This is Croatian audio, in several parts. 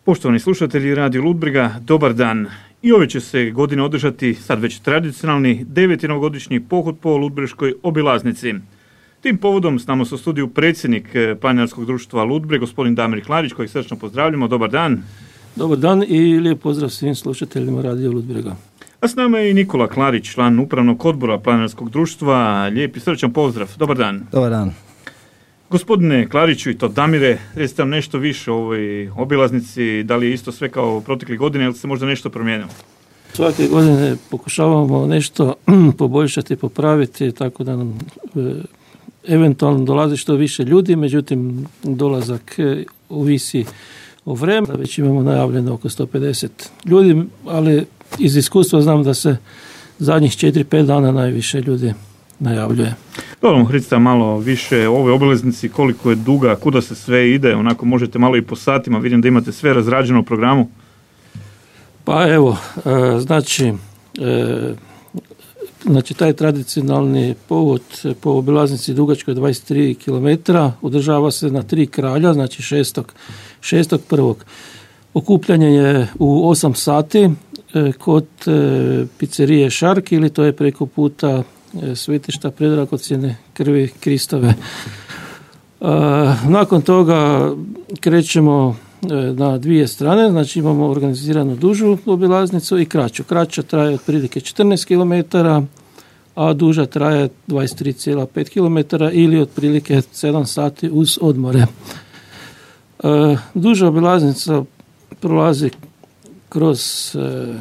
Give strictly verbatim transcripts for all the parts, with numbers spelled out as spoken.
Poštovani slušatelji Radio Ludbrega, dobar dan. I ove će se godine održati sad već tradicionalni deveti novogodišnji pohod po Ludbreškoj obilaznici. Tim povodom s nama su u studiju predsjednik Planinarskog društva Ludbreg, gospodin Damir Klarić, kojeg srčno pozdravljamo. Dobar dan. Dobar dan i lijep pozdrav svim slušateljima Radio Ludbrega. A s nama je i Nikola Klarić, član upravnog odbora Planinarskog društva. Lijep i srčan pozdrav. Dobar dan. Dobar dan. Gospodine Klariću i to Damire, recite nam nešto više o ovoj obilaznici, da li je isto sve kao proteklih godina ili se možda nešto promijenilo? Svake godine pokušavamo nešto poboljšati, popraviti, tako da nam e, eventualno dolazi što više ljudi, međutim dolazak e, ovisi o vremenu. Već imamo najavljeno oko sto pedeset ljudi, ali iz iskustva znam da se zadnjih četiri pet dana najviše ljudi najavljuje. Dobro, recite malo više o ovoj obilaznici, koliko je duga, kuda se sve ide, onako možete malo i po satima, vidim da imate sve razrađeno u programu. Pa evo, e, znači, e, znači taj tradicionalni povod po obilaznici dugačkoj dvadeset tri kilometra održava se na tri kralja, znači šestog prvog Okupljanje je u osam sati e, kod e, pizzerije Šark, ili to je preko puta svetišta predragocjene krvi Kristove. E, nakon toga krećemo na dvije strane, znači imamo organiziranu dužu obilaznicu i kraću. Kraća traje otprilike četrnaest kilometara, a duža traje dvadeset tri zarez pet kilometara ili otprilike sedam sati uz odmore. E, duža obilaznica prolazi kroz e,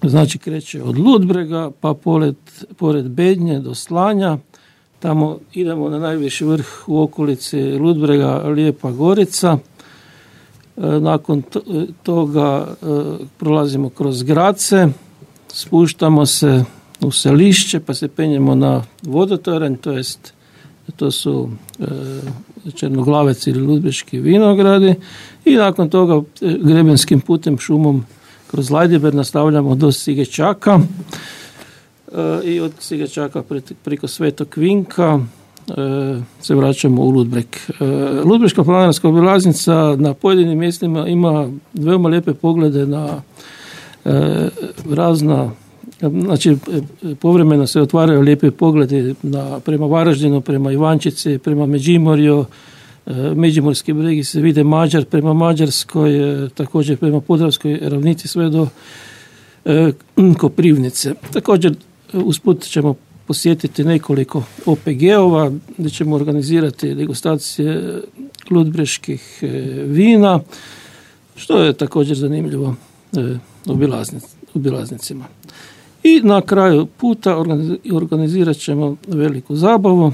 znači kreće od Ludbrega pa pored, pored Bednje do Slanja, tamo idemo na najviši vrh u okolici Ludbrega, Lijepa Gorica. Nakon toga prolazimo kroz Grace, spuštamo se u Selišće pa se penjemo na vodotoranj, to jest to su Černoglavec ili Ludbreški vinogradi, i nakon toga grebenskim putem šumom kroz Lajdiber nastavljamo do Sigečaka e, i od Sigečaka preko Svetog Vinka e, se vraćamo u Ludbreg. E, Ludbreška planinarska obilaznica na pojedinim mjestima ima veoma lijepe poglede na e, razna, znači povremeno se otvaraju lijepe pogledi na, prema Varaždinu, prema Ivančici, prema Međimorju. Međimurski bregi se vide Mađar, prema Mađarskoj, također prema Podravskoj ravnici sve do e, Koprivnice. Također usput ćemo posjetiti nekoliko O P G-ova gdje ćemo organizirati degustacije ludbreških e, vina, što je također zanimljivo e, obilaznic, obilaznicima. I na kraju puta organizirat ćemo veliku zabavu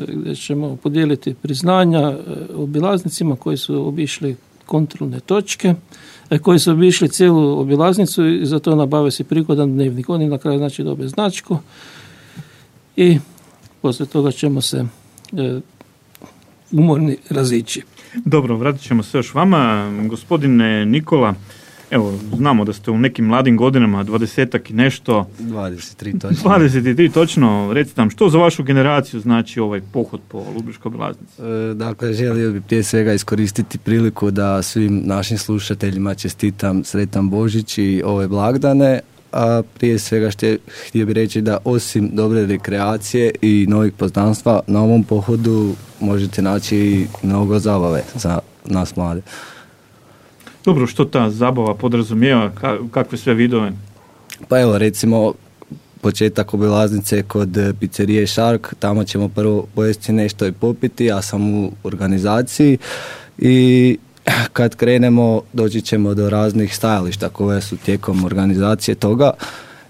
gdje ćemo podijeliti priznanja obilaznicima koji su obišli kontrolne točke, koji su obišli cijelu obilaznicu i za to nabave si prigodan dnevnik. Oni na kraju znači dobe značku i poslije toga ćemo se e, umorni razići. Dobro, vratit ćemo se još vama. Gospodine Nikola, evo, znamo da ste u nekim mladim godinama, dvadesetak i nešto. dvadeset tri točno. dvadeset tri točno. Recite nam, što za vašu generaciju znači ovaj pohod po Ludbreškoj obilaznici? E, dakle, želio bih prije svega iskoristiti priliku da svim našim slušateljima čestitam sretan Božić i ove blagdane, a prije svega šte, htio bih reći da osim dobre rekreacije i novih poznanstva, na ovom pohodu možete naći i mnogo zabave za nas mlade. Dobro, što ta zabava podrazumijeva, kakve sve vidove? Pa evo, recimo, početak obilaznice kod pizzerije Šark, tamo ćemo prvo pojesti nešto i popiti, ja sam u organizaciji i kad krenemo doći ćemo do raznih stajališta koje su tijekom organizacije toga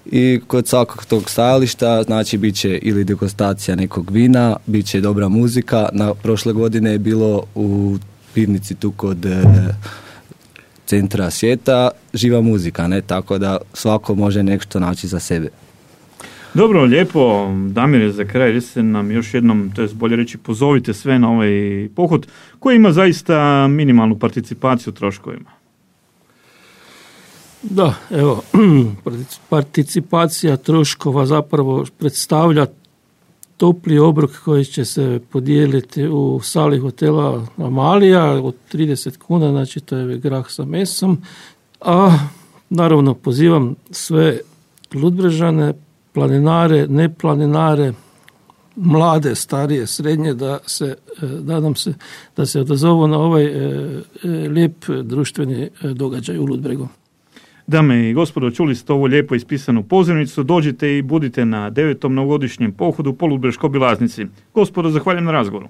i kod svakog tog stajališta znači bit će ili degustacija nekog vina, bit će dobra muzika. Na prošle godine je bilo u pivnici tu kod centra svijeta živa muzika, ne, tako da svako može nešto naći za sebe. Dobro, lijepo. Damire, za kraj recite nam još jednom, to je bolje reći, pozovite sve na ovaj pohod koji ima zaista minimalnu participaciju u troškovima. Da, evo, participacija troškova zapravo predstavlja topli obrok koji će se podijeliti u sali hotela Amalija od trideset kuna, znači to je grah sa mesom. A naravno pozivam sve Ludbrežane, planinare, neplaninare, mlade, starije, srednje, da se, nadam se, da se odazovu na ovaj e, e, lijep društveni događaj u Ludbregu. Dame i gospodo, čuli ste ovo lijepo ispisanu pozivnicu, dođite i budite na devetom novogodišnjem pohodu po Ludbreškoj obilaznici. Gospodo, zahvaljujem na razgovoru.